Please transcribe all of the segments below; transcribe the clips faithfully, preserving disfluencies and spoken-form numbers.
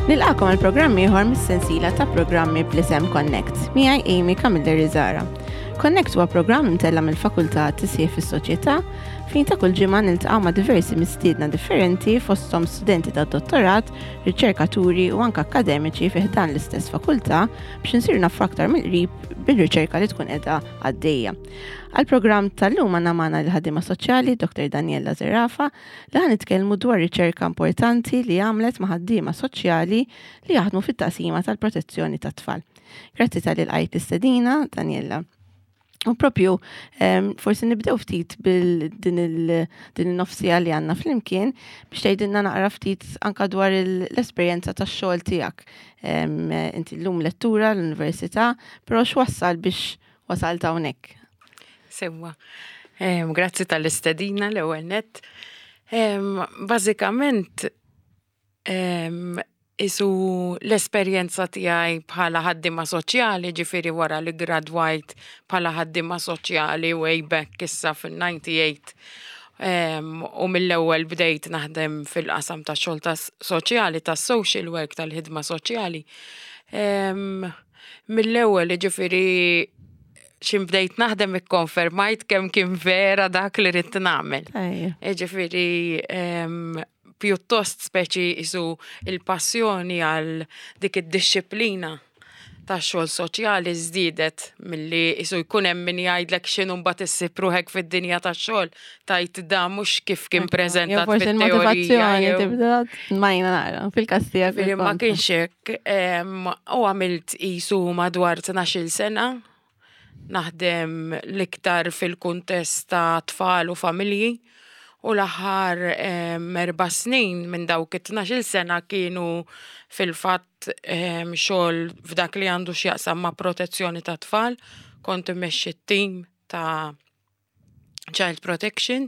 Nilqagħkom għal programm ieħor mis-sensiela ta' programmi bl-isem Connect. Miegħi Amy Camilleri Zara. Connect huwa programm imtella' mill-Fakultà Tisħiħ fis-Soċjetà fejn ta' kull ġimgħa niltaqgħu ma' diversi mistiedna differenti, fosthom studenti ta' dottorat, riċerkaturi u anke akademiċi fi ħdan l-istess fakultà, biex insiru nafu aktar mill-qrib bil-riċerka li tkun qiegħda għaddejja. Għal-programm tal-lum għandna magħna l-ħaddiema soċjali Doktor Daniela Zerafa, li ħa nitkellmu dwar riċerka importanti li għamlet ma' ħaddiema soċjali li jaħdmu fit-taqsima tal-protezzjoni tat-tfal. Grazzi talli lqajt l-istedina, Daniela. U propju, em, forsi nibdew ftit bil-din il- din il-nofs siegħa li għandna flimkien biex tgħidilna naqra ftit anka dwar il- l-esperjenza tax-xogħol tiegħek. Em, Inti llum lettura l-università, però x'wassal biex wasalt hawnhekk? Sewwa. Em, Grazzi tal-istedina l-ewwel nett. Em, Bażikament em, isu l-esperjenza tiegħi bħala ħaddiema soċjali, ġifieri wara li gradwajt bħala ħaddiema soċjali way back issa fil-disgħa u disgħin, em, u mill-ewwel bdejt naħdem fil-qasam ta' xogħol ta' soċjali, ta' social work, tal-ħidma soċjali. Em, Mill-ewwel, ġifieri x'ħin bdejt naħdem, ikkonfermajt kemm kien vera dak li ridt nagħmel. Ejja. Ġifieri, em, pjuttost speċi isu il-passjoni għal dik id-dixxiplina ta' xogħol soċjali żdiedet milli isu jkun hemm min jgħidlek x'inhu mbagħad issib ruħek fid-dinja tax-xogħol tajt da mhux kif kien preżentat Jew forsi fit-teorija. il-motivazzjoni jew- tibda majna naqra fil-każ tiegħek. Ġifieri ma kienx hekk, em, u għamilt isu madwar tnax-il sena naħdem l-iktar fil-kuntest ta' tfal u familji, u l-aħħar em, erba' snin minn dawk it-tnax-il sena kienu fil-fatt em, xogħol f'dak li għandu x'jaqsam ma' protezzjoni ta' tfal. Kont immexxi t-tim ta' Child Protection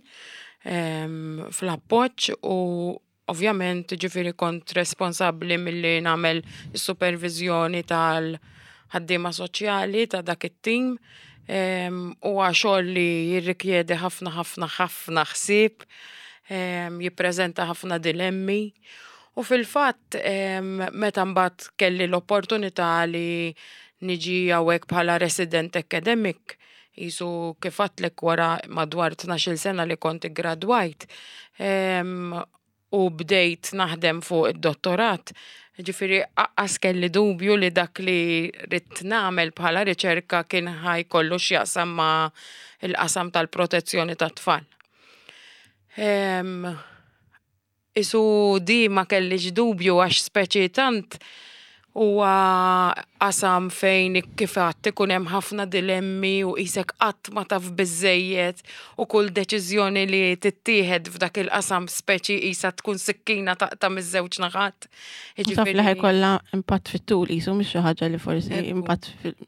em, fl-appoġġ u ovvjament ġifieri kont responsabbli milli nagħmel is-supervizjoni tal-ħaddiema soċjali ta' dak it-tim. em, Huwa xogħol li jirrikjedi ħafna, ħafna, ħafna ħsieb, em, jippreżenta ħafna dilemmi. U fil-fatt em, meta mbagħad kelli l-opportunità li niġi hawnhekk bħala resident academic, jisu kif għedtlek wara madwar tnax-il sena li kont gradwajt, em, u bdejt naħdem fuq id-dottorat, ġifieri lanqas kelli dubju li dak li ridt nagħmel bħala riċerka kien ħa jkollu x'jaqsam ma' il-qasam tal-protezzjoni tat-tfal. Em, Isu di ma kellix dubju għax speċi tant huwa qasam fejn kif għedt ikun hemm ħafna dilemmi u qisek qatt ma taf biżejjed u kull deċiżjoni li tittieħed f'dak il-qasam speċi qisha tkun sikkina taqta' miż-żewġ naħat. Taf li ħa jkollha impatt fit-tul, jisu mhix xi ħaġa li forsi Ekku. impatt fil-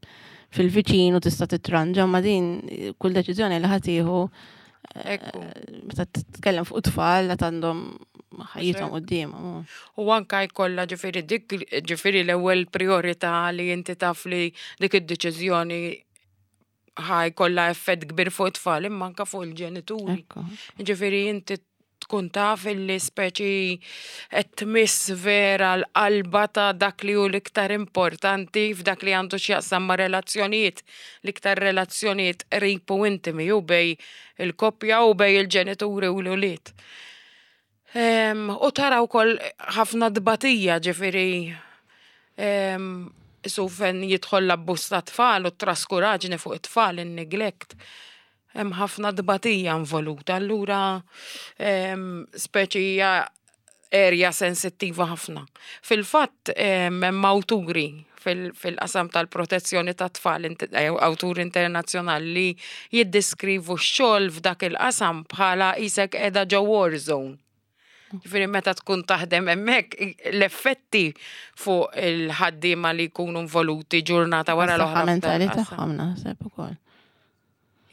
fil-viċin u tista' titranġa, ma din kull deċiżjoni li ħa tieħu Ekku. meta titkellem fuq tfal li għandhom ħajjithom Hekk. quddiemhom. U anka jkollha ġifieri dik ġifieri l-ewwel priorità li inti taf li dik id-deċiżjoni ħa jkollha effett kbir fuq it-tfal imma anka fuq il-ġenituri. Ekku. Ġifieri inti tkun taf illi speċi qed tmiss vera l-qalba ta' dak li hu l-iktar importanti f'dak li għandu x'jaqsam ma' relazzjonijiet, l-iktar relazzjonijiet qrib u intimi u bejn il-koppja u bejn il-ġenituri u l-ulied. Em, U tara wkoll ħafna dbatija, ġifieri em, su fejn jidħol l-abbuż ta' tfal u t-traskuraġni fuq it-tfal, in-neglect. Hemm ħafna dbatija involuta, allura em, speċi hija area sensittiva ħafna. Fil-fatt em, hemm awturi fil- fil-qasam tal-protezzjoni ta' tfal, int- eh, awturi internazzjonali li jiddeskrivu x-xogħol f'dak il-qasam bħala qisek qiegħda ġo war zone. Ġifieri meta tkun taħdem hemmhekk, l-effetti fuq il-ħaddiema li jkunu involuti ġurnata wara Is-saħħa l-oħra f'dan mentali il-qasam. tagħhom naħseb ukoll.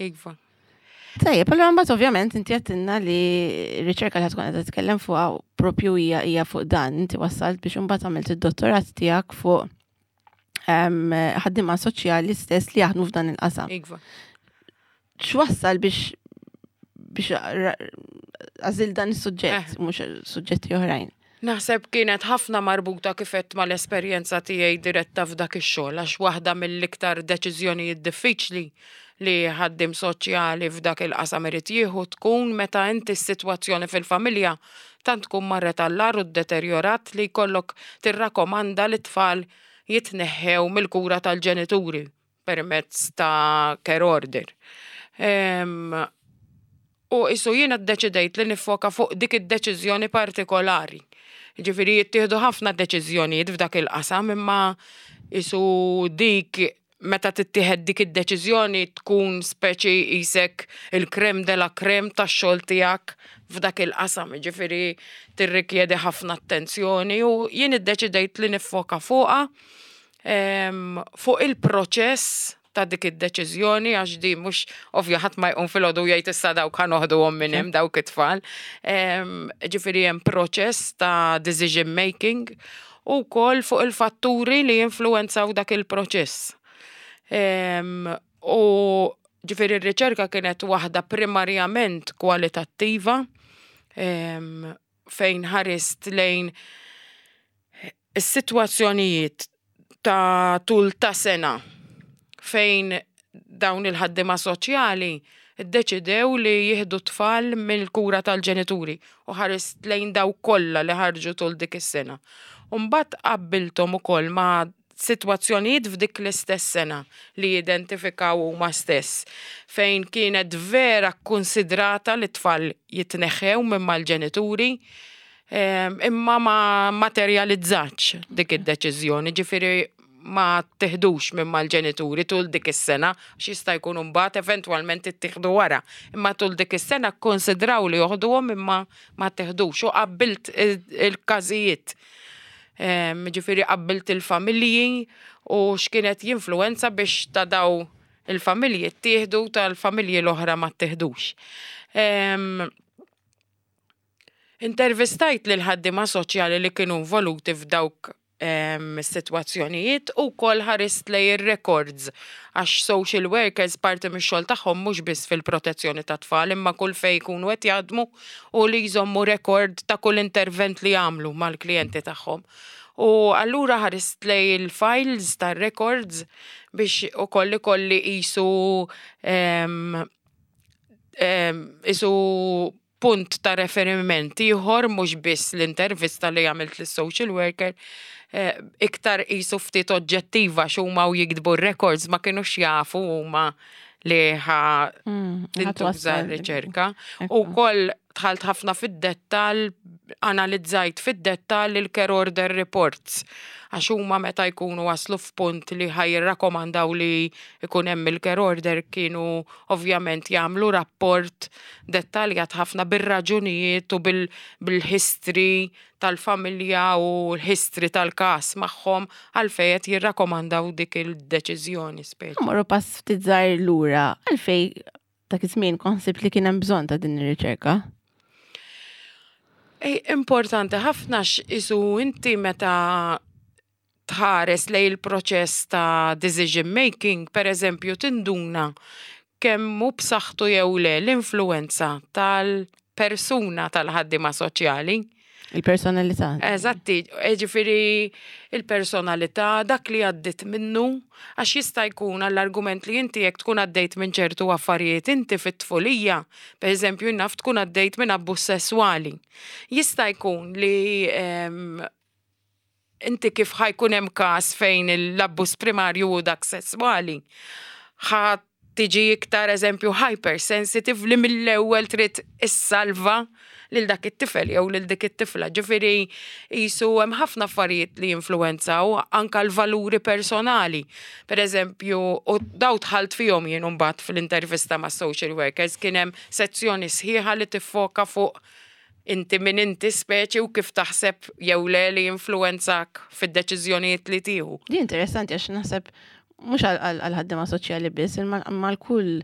Iva. Tajjeb, allura mbagħad ovvjament inti għedtilna li r-riċerka li tkun qed titkellem fuqha propju hija hija fuq dan. Inti wassalt biex imbagħad għamilt id-dottorat tiegħek fuq em, ħaddiema soċjali stess li jaħdmu f'dan il-qasam. Iva. X'wassal biex biex għażilt dan is-suġġett, Eh. mhux suġġetti oħrajn? Naħseb kienet ħafna marbuta kif għedt mal-esperjenza tiegħi diretta f'dak ix-xogħol, għax waħda mill-iktar deċiżjonijiet diffiċli li ħaddiem soċjali f'dak il-qasam irid jieħu tkun meta inti s-sitwazzjoni fil-familja tant tkun marret għall-agħar u deterjorat li jkollok tirrakkomanda li tfal jitneħħew mill-kura tal-ġenituri permezz ta' care order. Em, U issa jiena ddeċidejt li niffoka fuq dik id-deċiżjoni partikolari. Ġifieri jittieħdu ħafna deċiżjonijiet f'dak il-qasam, imma issa dik meta tittieħed dik id-deċiżjoni tkun speċi qisek il-crème de la crème tax-xogħol tiegħek f'dak il-qasam, ġifieri tirrikjedi ħafna attenzjoni u jien iddeċidejt li niffoka fuqha em, fuq il-proċess ta' dik id-deċiżjoni, għax di mhux ovvja ħadd ma jqum filgħodu jgħid, "Issa dawk ħa noħduhom minn hemm dawk it-tfal." Em, Ġifieri hemm proċess ta' decision making u wkoll fuq il-fatturi li jinfluwenzaw dak il-proċess. Em, U ġifieri r-riċerka kienet waħda primarjament kwalitattiva em, fejn ħarist lejn is-sitwazzjonijiet ta' tul ta' sena fejn dawn il-ħaddima soċjali iddeċidew li jieħdu tfal mill-kura tal-ġenituri u ħarist lejn daw kollha li ħarġu tul dik is-sena. U mbagħad qabbilthom ukoll ma' sitwazzjonijiet f'dik l-istess sena li jidentifikaw huma stess, fejn kienet vera konsidrata li tfal jitneħħew minn mal-ġenituri em, imma ma materializzatx dik id-deċiżjoni, ġifieri ma tteħdux minn mal-ġenituri tul dik is-sena, għax jista' jkun mbagħad eventwalment ittieħdu wara. Imma tul dik is-sena konsidraw li joħduhom imma ma tteħdux u qabbilt il- il-każijiet. Em, Ġifieri qabbilt il-familji u x'kienet jinfluwenza biex ta' daw il-familji ttieħdu, tal-familji l-oħra ma tteħdux. Em, Intervistajt lil ħaddiema soċjali li kienu involuti f'dawk em, sitwazzjonijiet u wkoll ħarist lej ir-records, għax social workers parti mix-xogħol tagħhom mhux biss fil-protezzjoni ta' tfal imma kull fejn jkunu qed jaħdmu u li jżommu rekord ta' kull intervent li jagħmlu mal-klijenti tagħhom. U allura ħarist lej il-files tar-records biex ukoll ikolli qisu em, em, qisu punt ta' referiment ieħor, mhux biss l-intervista li għamilt lis-social worker, eh, iktar qisu ftit oġġettiva x'huma u jiktbu records ma kinux jafu huma li ħa tintuża r-riċerka. U wkoll dħalt ħafna fid-dettal, analizzajt fid-dettal il-care order reports. Għax huma meta jkunu waslu f'punt li ħa jirrakkomandaw li jkun hemm il-care order kienu ovvjament jagħmlu rapport dettaljat ħafna bir-raġunijiet u bil- bil-history tal-familja u l-history tal-każ magħhom għalfejn qed jirrakkomandaw dik il-deċiżjoni speċi. Morru pass ftit żgħir lura, għalfej dak iż-żmien kont ħsibt li kien hemm bżonn ta' din ir-riċerka? Ej, importanti ħafna x'isu inti meta tħares lej il-proċess ta' decision making, per eżempju, tinduna kemm hu b'saħħtu jew le l-influenza tal-persuna tal-ħaddima soċjali. Il-personalità. Eżatti, ġifieri il-personalità, dak li għaddit minnu, għax jista' jkun għall-argument li inti jekk tkun għaddejt minn ċertu affarijiet inti fit-tfulija, per eżempju, naf tkun għaddejt minn abbuż sesswali. Jista' jkun li em, inti kif ħa jkun hemm każ fejn l-abbuż primarju u dak sesswali, ħa tiġi iktar, eżempju, hypersensitive li mill-ewwel trid issalva lil dak it-tifel jew lil dik it-tifla. Ġifieri qisu hemm ħafna affarijiet li jinfluwenzaw, anka l-valuri personali. Per eżempju, u daw dħalt fihom jien mbagħad fil-intervista ma' social workers, kien hemm sezzjoni sħiħa li tiffoka fuq inti min inti speċi u kif taħseb jew le li influwenzak fid-deċiżjonijiet li tieħu. Di interessanti għax naħseb mhux għal ħaddiema soċjali biss, imma l-kull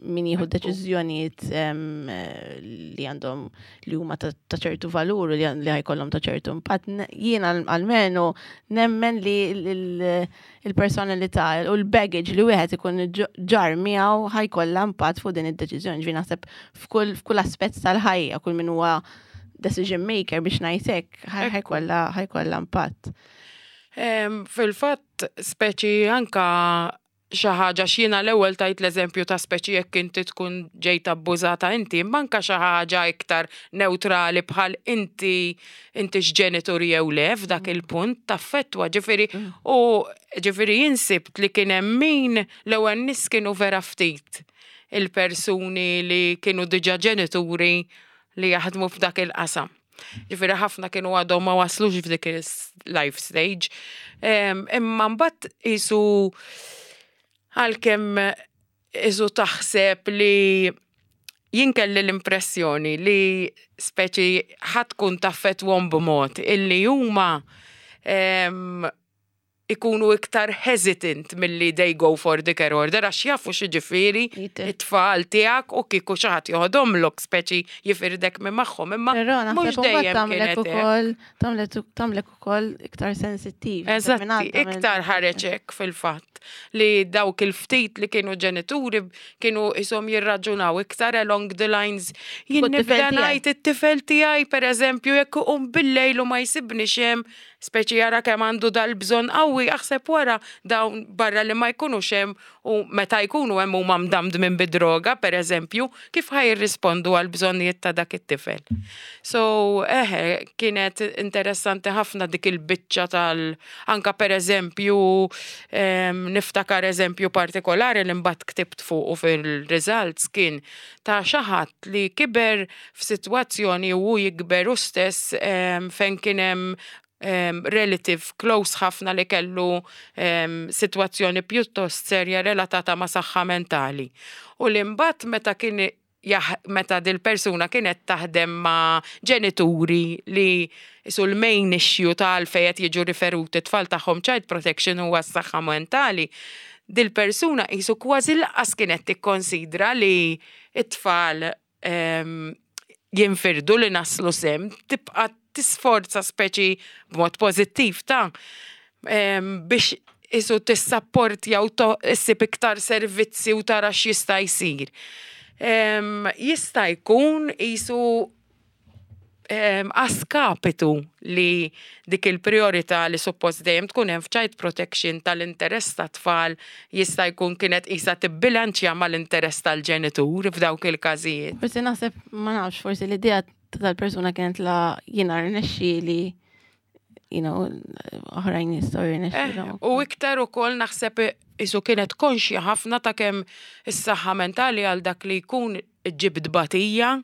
min jieħu deċiżjonijiet em, eh, li għandhom li huma ta' ta' ċertu valur u li li ħa jkollhom ta' ċertu impatt. Ne- Jiena almenu nemmen li l- il-personalità u l-baggage li wieħed ikun ġ- ġar miegħu ħa jkollha impatt fuq din id-deċiżjoni. Ġifieri naħseb f'kull f'kull aspett tal-ħajja, kull min huwa decision maker biex ngħidlek ħa jkollha impatt. Fil-fatt, speċi anka xi ħaġa x'jiena l-ewwel tajt l-eżempju ta' speċi jekk inti tkun ġejt abbużata inti, imma anka xi ħaġa iktar neutrali bħal inti inti x'ġenitur jew le f'dak il-punt taffettwa, ġifieri u ġifieri jien sibt li kien hemm min l-ewwel nies kienu vera ftit il-persuni li kienu diġà ġenituri li jaħdmu f'dak il-qasam. Ġifieri ħafna kienu għadhom ma waslux f'dik il-life stage. Imma mbagħad isu għalkemm isu taħseb li jien kelli l-impressjoni li speċi ħa tkun taffettwahom b'mod illi huma ikunu iktar hesitant milli they go for the care order għax jafu x'jiġifieri it-tfal tiegħek u kieku xi ħadd joħodhomlok, speċi jifirdek minn magħhom, imma mhux dejjem kienet ukoll tagħmlek ukoll iktar sensittiv. Eżatti, iktar ħareġ hekk fil-fatt li dawk il-ftit li kienu ġenituri kienu isom jirraġunaw iktar along the lines jien nibda ngħid it-tifel tiegħi, pereżempju, jekk iqum bil-lejl u ma jsibni hemm, speċi jara kemm għandu dal-bżonn qawwi, aħseb wara dawn barra li ma jkunux hemm u meta jkunu hemm huma mdamdmin bid-droga, pereżempju, kif ħa jirrispondu għal bżonnijiet ta' dak it-tifel? So, eħe, kienet interessanti ħafna dik il-biċċa tal anka pereżempju niftakar eżempju partikolari li mbagħad ktibt fuq fil-results, kien ta' xi ħadd li kiber f'sitwazzjoni u jikber u stess fejn kien hemm um, relative close ħafna li kellu um, situazzjoni pjuttost serja relatata ma' saħħa mentali. U li mbagħad meta kien meta dil-persuna kienet taħdem ma' ġenituri li isu l-main issue tal fejn jiġu riferuti tfal tagħhom child protection huwa s-saħħa mentali, dil-persuna isu kważi lanqas kienet tikkonsidra li it-tfal um, jinfirdu li naslu s'hemm, tibqa' tisforza speċi b'mod pożittiv ta' biex isu tissapportja u issib iktar servizzi u tara x'jista' jsir. Jista' jkun isu askapitu li dik il-priorità li suppost dejjem tkun hemm f'child protection tal-interess tat-tfal jista' jkun kienet isa tibbilanċja mal-interess tal-ġenitur f'dawk il-każijiet. Forsi naħseb, ma nafx, forsi l-idea tal-persuna kienet la jiena rnexxieli, you know, oħrajn jistgħu jirnexxielhom. Eh, u iktar ukoll naħseb isu kienet konxja ħafna ta' kemm is-saħħa mentali għal dak li jkun ġib tbatija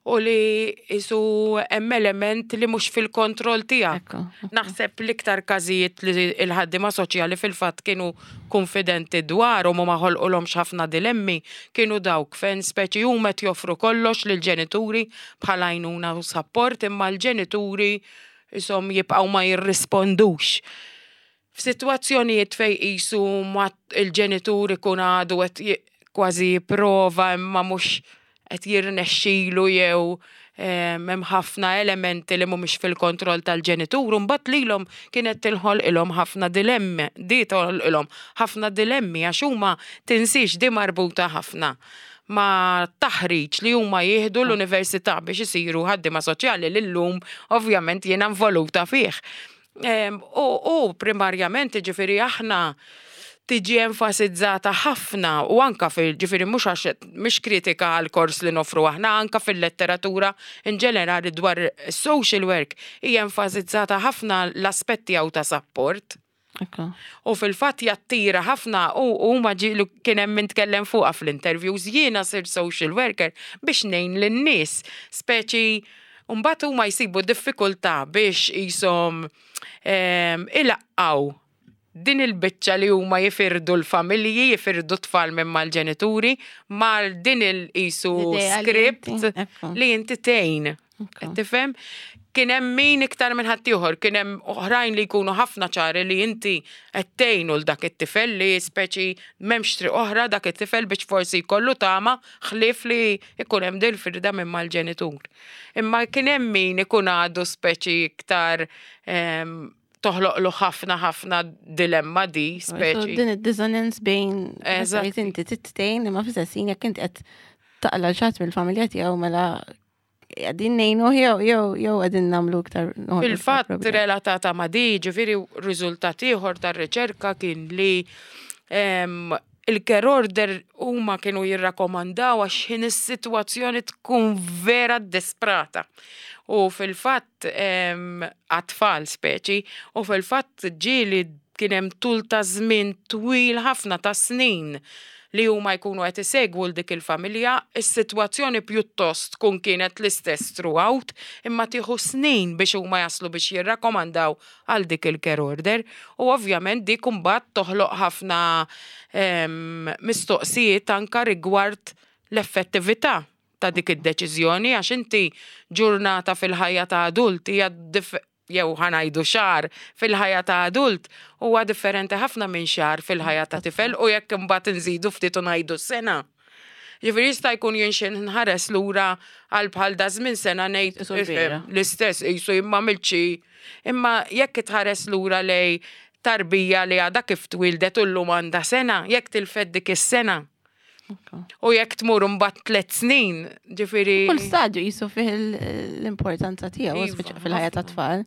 u li isu hemm element li mhux fil-kontroll tiegħek. Ekku, ekku. Naħseb l-iktar każijiet li l-ħaddiema soċjali fil-fatt kienu konfidenti dwarhom u ma ħolqulhomx ħafna dilemmi kienu dawk fejn speċi huma qed joffru kollox lill-ġenituri bħala għajnuna u support, imma l-ġenituri isom jibqgħu ma jirrispondux. F'sitwazzjonijiet fej qisu ma il-ġenitur ikun għadu qed ji- kważi jipprova imma mhux qed jirnexxilu jew em, hemm ħafna elementi li mhumiex fil-kontroll tal-ġenitur, u mbagħad lilhom kienet tilħolqilhom ħafna dilemmi, di toħolqilhom ħafna dilemmi għax huma tinsiex di marbuta ħafna ma' taħriġ li huma jieħdu l-università biex isiru ħaddiema soċjali li llum ovvjament jiena involuta fih. Em, U, u primarjament ġifieri aħna tiġi enfasizzata ħafna u anka fil ġifieri mhux għax mhix kritika għal kors li nofru aħna, anka fil-letteratura in ġenerali dwar social work hija enfasizzata ħafna l-aspetti għaw ta' support. Ekku. U fil-fatt jattira ħafna u huma ġilu kien hemm min tkellem fuqha fl-interviews, jiena sir social worker biex ngħin lin-nies, speċi mbagħad huma jsibu diffikultà biex jisom em, ilaqqaw din il-biċċa li huma jifirdu l-familji, jifirdu tfal minn mal-ġenituri, mal din il-isu L-idea li script inti- ekku. li inti tgħin. Ekku. Tifhem? Kien hemm min iktar minn ħaddieħor, kien hemm oħrajn li jkunu ħafna ċari li inti qed tgħinu l dak it-tifel li speċi m'hemmx triq oħra dak it-tifel biex forsi jkollu tama ħlief li jkun hemm dil-firda minn mal-ġenitur. Imma kien hemm min ikun għadu speċi iktar em, toħloqlu ħafna ħafna dilemma di So speċi. din id-dissonance bejn Eżatti. meta inti tgħin imma fl-istess ħin jekk inti qed taqla' xi ħadd mill-familja tiegħu mela Qegħdin ngħinu jew jew jew qegħdin nagħmlu iktar noħolqu iktar Fil-fatt problemi. Relatata ma' di, ġifieri riżultat ieħor tar-riċerka kien li em, il-care order huma kienu jirrakkomandaw għax ħin is-sitwazzjoni tkun vera desprata. U fil-fatt em, għat-tfal speċi, u fil-fatt ġieli kien hemm tul ta' żmien twil ħafna ta' snin li huma jkunu qed isegwu l dik il-familja, is-sitwazzjoni pjuttost tkun kienet l-istess throughout, imma tieħu snin biex huma jaslu biex jirrakkomandaw għal dik il-care order. U ovvjament dik imbagħad toħloq ħafna em, mistoqsijiet anka rigward l-effettività ta' dik id-deċiżjoni, għax inti ġurnata fil-ħajja ta' adult hija dif- jew ħa ngħidu xahar fil-ħajja ta' adult huwa differenti ħafna minn xahar fil-ħajja ta' tifel, u jekk imbagħad inżidu ftit u ngħidu sena. Ġifieri jista' jkun jien xi nħares lura għal bħal da żmien sena ngħid Qisu l-bieraħ. L-istess qisu imma milċi. Imma jekk tħares lura lej tarbija li għadha kif twildet u llum għandha sena, jekk tilfed dik is-sena. U jekk tmur mbagħad tliet snin, ġifieri. Kull stadju jisu fih il- l-importanza tiegħu, Iva, speċi fil-ħajja ta' ħafna. tfal.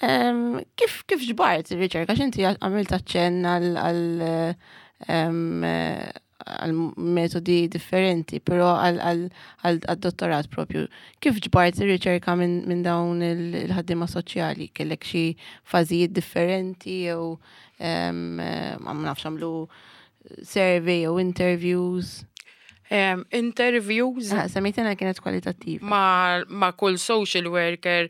Em, Kif kif ġbart ir-riċerka? X'inti għamilt aċċenn għal għal em, għal metodi differenti, però għal għal għal dottorat propju. Kif ġbart ir-riċerka minn min dawn il- il-ħaddiema soċjali? Kellek xi fażijiet differenti jew em, ma nafx, għamlu survey jew interviews? Em, interviews Ah, semmejtna kienet kwalitattiva. ma, ma kull social worker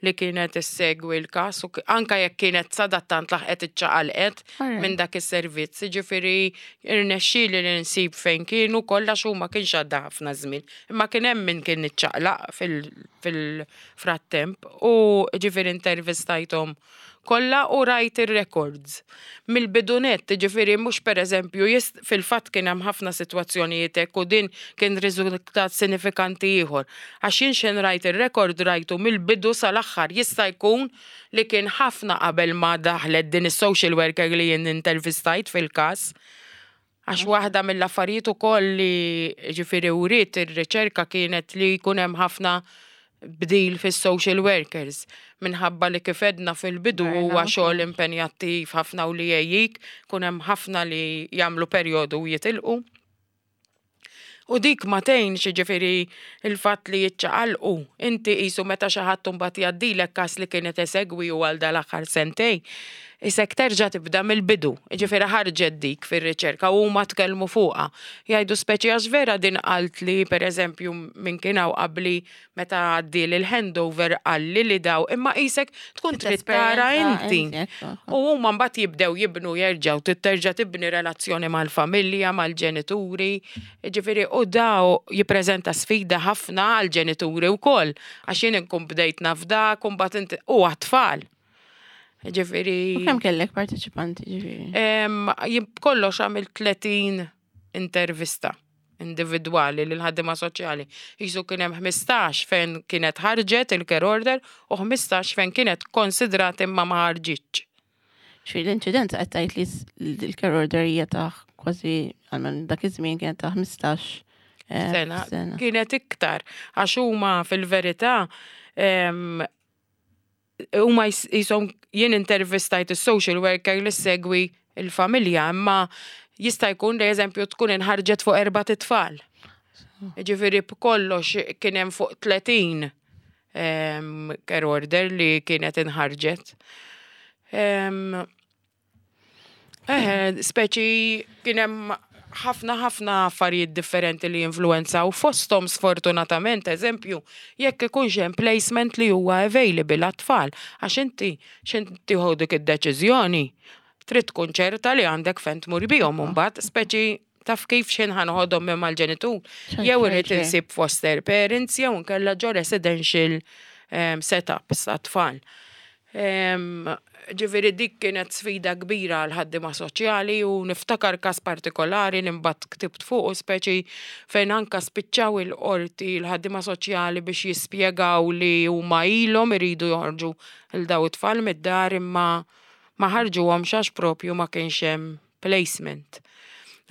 li kienet issegwi l-kas, u k- anka jekk kienet sadattant laħqet iċċaqalqet Alright. minn dak is-servizz, ġifieri irnexxieli li nsib fejn kienu kollha xu ma kienx għadda ħafna żmien. Imma kien hemm min kien iċċaqlaq fil- fil-frattemp u ġifieri intervistajthom kollha u rajt ir-records. Mill-bidunett, ġifieri mhux pereżempju, jist- fil-fatt kien hemm ħafna sitwazzjonijiet hekk u din kien riżultat sinifikanti ieħor. Għax jien xejn rajt ir-rekord rajtu mill-bidu sal-aħħar, jista' jkun li kien ħafna qabel ma daħlet din is-social worker li jien intervistajt fil-każ. Għax waħda mill-affarijiet ukoll li ġifieri uriet ir-riċerka kienet li jkun hemm ħafna bdil fis-social workers minħabba li kif għedna fil-bidu huwa Burnout. xogħol impenjattiv ħafna u li jgħejjik, kun hemm ħafna li jagħmlu perjodu u jitilqu. U dik ma tgħinx, ġifieri il-fatt li jiċċaqalqu. Inti qisu meta xi ħadd imbagħad jgħaddilek każ li kienet esegwi u għal dal-aħħar sentej, isek terġa' tibda mill-bidu. Ġifieri ħarġet dik fir-riċerka u huma tkellmu fuqha. Jgħidu speċi għax vera din qalt li pereżempju min kien hawn qabli meta għaddi l-handover qalli li daw, imma qisek tkun trid tara inti. U huma mbagħad jibdew jibnu jerġgħu trid terġa' tibni relazzjoni mal-familja, mal-ġenituri. Ġifieri u daw jippreżenta sfida ħafna għall-ġenituri wkoll għax jien inkun bdejt naf dak u mbagħad inti u għat-tfal. Ġifieri. U kemm kellek parteċipanti, ġifieri? Em, jien kollox għamilt tletin intervista individwali lil ħaddiema soċjali. Jisu kien hemm ħmistax fejn kienet ħarġet il-care order u ħmistax fejn kienet konsidrat imma ma ħarġitx. Ġifieri l-inċidenza qed tgħid li s- l-care order hija ta' kważi, għalmenu dak iż-żmien, kienet ta' ħmistax eh, sena. Sena. Kienet iktar għax huma fil-verità em, huma jis- jisom jien intervistajt is-social worker li segwi il-familja, imma jista' jkun li eżempju tkun inħarġet fuq erba' titfal. Ġifieri b'kollox kien hemm fuq tletin em, care order li kienet inħarġet. Em, Eh, speċi kien hemm ħafna ħafna affarijiet differenti li influenzaw fosthom sfortunatament, eżempju, jekk ikunx hemm placement li huwa available għat-tfal, għax inti x'int tieħu dik id-deċiżjoni, trid tkun ċerta li għandek fejn tmur bihom mbagħad, speċi taf kif x'in ħa noħodhom minn mal-ġenitur. ċert, Jew ċert, irrid ċert. insib foster parents jew nkella ġo residential um, setups għat-tfal. Em, Ġifieri dik kienet sfida kbira għal ħaddiema soċjali u niftakar każ partikolari li mbagħad ktibt fuq, speċi fejn anka spiċċaw il-qorti l-ħaddiema soċjali biex jispjegaw li huma ilhom iridu joħorġu il daw it-tfal mid-dar imma ma ħarġuhomx għax propju ma kienx hemm placement.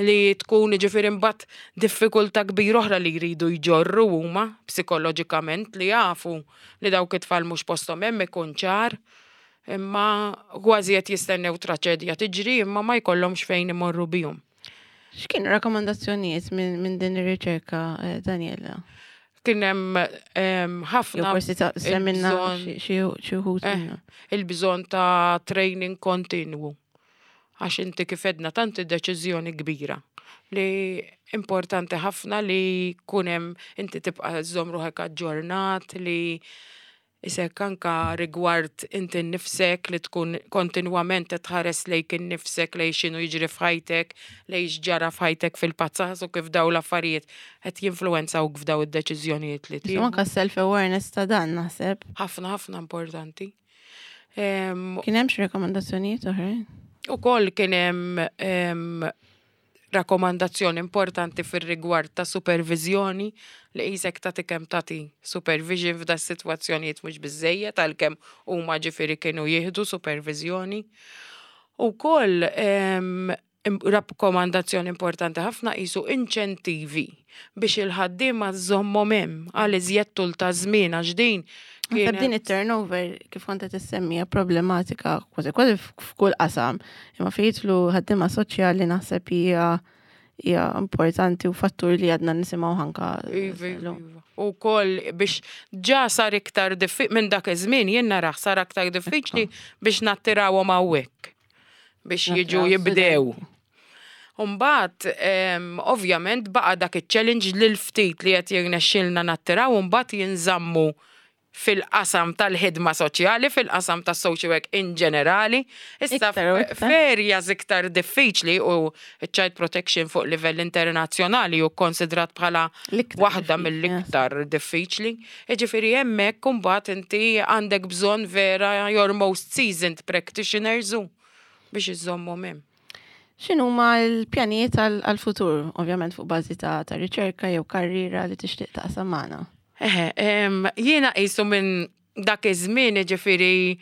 Li tkun, ġifieri, mbagħad diffikultà kbira oħra li jridu jġorru huma psikoloġikament, li jafu li dawk it-tfal mhux posthom hemm, ikun ċar, imma kważi qed jistennew traċedja tiġri, imma ma jkollhomx fejn imorru bihom. X'kienu rakkomandazzjonijiet minn min din ir-riċerka, eh, Daniela? Kien hemm em, Jew ħafna forsi ta' semmilna il-bżonn- xi xi wħud Eh, minnhom. Il-bżonn ta' training kontinwu. Għax inti kif għedna, tanti deċiżjoni kbira li importanti ħafna li kunem inti tibqa' żżomm ruħek aġġornat, li isek anka rigward inti nnifsek, li tkun kontinwament tħares lejk innifsek, lejn x'inhu jiġri f'ħajtek, lejn x'ġara f'ħajtek fil-passat u kif daw l-affarijiet qed jinfluwenzawk f'daw id-deċiżjonijiet li Insomma, tieħu. anka self-awareness ta' dan, naħseb. Ħafna ħafna importanti. Em, Kien hemm xi rakkomandazzjonijiet oħrajn? Ukoll kien hemm em, rakkomandazzjoni importanti fir-rigward ta' supervizjoni, li qisek tagħti kemm tagħti supervision f'da sitwazzjonijiet mhux biżejjed, għalkemm huma, ġifieri, kienu jieħdu supervizjoni. Ukoll em, im- rakkomandazzjoni importanti ħafna qisu inċentivi biex il-ħaddiema żommhom hemm għal iżjed tul ta' żmien, għax din Naħseb din kienet it-turnover, kif kont qed issemmija, problematika kważi kważi f'kull qasam. Imma fejn jidħlu ħaddiema soċjali naħseb hija hija importanti u fattur li għadna nisimgħu anka. Iva, illum. Iva. U koll biex ġa sar iktar diffiċli minn dak iż-żmien, jien narah sar aktar diffiċli biex nattirawhom hawnhekk biex jiġu Nattiraw jibdew. studenti. Umbat, ovvjament, baqa dak il-challenge li l-ftit li qed jirnexxilna nattiraw mbagħad jinżammu fil-qasam tal-ħidma soċjali, fil-qasam tas social work in ġenerali. Issa Iktar u iktar. f'areas iktar diffiċli, u child protection fuq livell internazzjonali u konsidrat bħala L-iktar waħda diffiċli, mill-iktar diffiċli. Jiġifieri hemmhekk imbagħad inti għandek bżonn vera your most seasoned practitioners u biex iżommhom hemm. X'inhuma l-pjanijiet għal- għal-futur, ovvjament fuq bażi ta' ta' riċerka jew karriera li tixtieq taqsam magħna? Eħe, em, jiena qisu minn dak iż-żmien, ġifieri,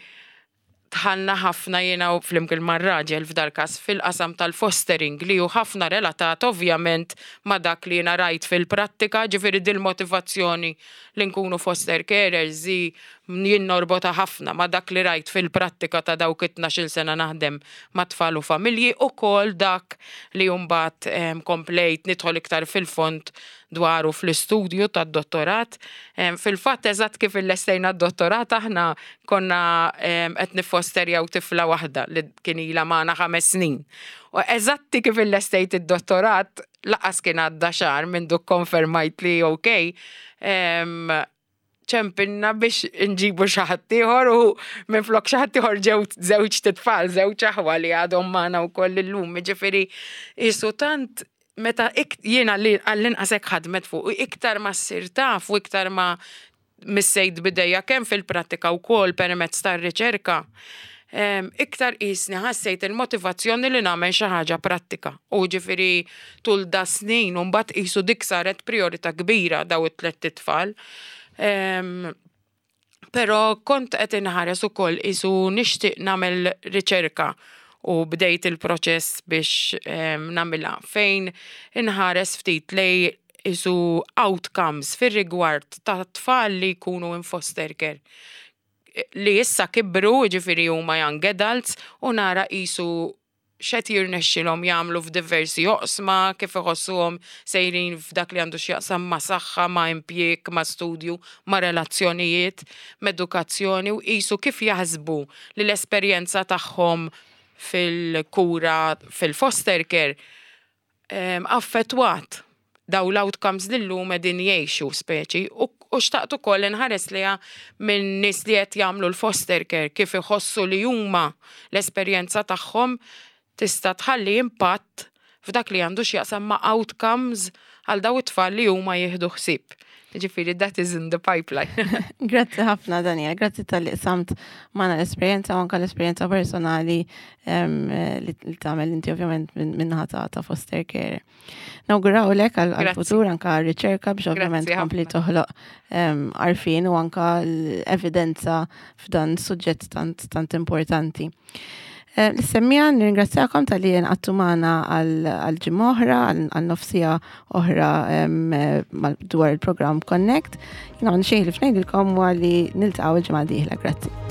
dħalna ħafna jiena u flimkien mar-raġel f'dal-każ fil-qasam tal-fostering, li hu ħafna relatat ovvjament ma' dak li jiena rajt fil-prattika, ġifieri dil-motivazzjoni li nkunu foster carers zi jien norbota ħafna ma' dak li rajt fil-prattika ta' dawk it-tnax-il sena naħdem ma' tfal u familji, u kol dak li mbagħad em, komplejt nidħol iktar fil-fond dwaru fl-istudju tad-dottorat. Em, Fil-fatt, eżatt kif illestejna d-dottorat, aħna konna em, qed nifosterjaw tifla waħda li kien ilha magħna ħames snin. U eżatti kif illestejt id-dottorat, lanqas kien għadda xahar minn duk konfermajt li ok, em, ċempinna biex nġibu xi ħadd ieħor, u minn flok xi ħadd ieħor ġew żewġ titfal, żewġ aħwa li għadhom magħna wkoll illum. Ġifieri qisu tant meta ik, jiena li għall-inqas hekk ħadmet fuq, u iktar ma ssir taf u iktar ma missejt bidejja kemm fil-prattika u kol permezz tar-riċerka, em, iktar qisni ħassejt il-motivazzjoni li nagħmel xi ħaġa prattika. U ġifieri tul da snin u mbagħad qisu dik saret priorità kbira, daw it-tliet tfal. Em, Pero kont qed inħares ukoll qisu nixtieq nagħmel riċerka, u bdejt il-proċess biex em, nagħmilha, fejn inħares ftit lej qisu outcomes fir-rigward ta' tfal li jkunu in foster care li issa kibru, ġifieri huma young adults, u nara qisu x'qed jirnexxilhom jagħmlu f'diversi oqsma, kif iħossuhom sejrin f'dak li għandu x'jaqsam ma' saħħa, ma' impjieg, ma' studju, ma' relazzjonijiet, ma' edukazzjoni, u qisu kif jaħsbu li l-esperjenza tagħhom fil-kura fil-foster care em, affettwat daw l-outcomes li llum qegħdin jgħixu speċi, u, u xtaqt ukoll inħares liha minn nies li qed jagħmlu l-foster care, kif iħossu li huma l-esperjenza tagħhom tista' tħalli impatt f'dak li għandu x'jaqsam ma' outcomes għal daw it-tfal li huma jieħdu ħsieb. Ġifieri that is in the pipeline. Grazzi ħafna, Daniel, grazzi talli qsamt magħna l-esperjenza u anka l-esperjenza personali em, li li tagħmel inti ovvjament minn min-naħa ta', ta' foster care. Nawgurawlek għal Grazzi. futur anka riċerka biex ovvjament Grazzi kompli ħafna. toħloq em, għarfien u anka l-evidenza f'dan suġġett tant, tant importanti. Eh, Lis-semmiegħa nirringrazzjakom talli għadtu magħna għal ġimgħa oħra, għal nofs siegħa oħra eh, dwar il-programm Connect. Jiena xejn li ngħidilkom li niltaqgħu il-ġimgħa dieħla. Grazzi.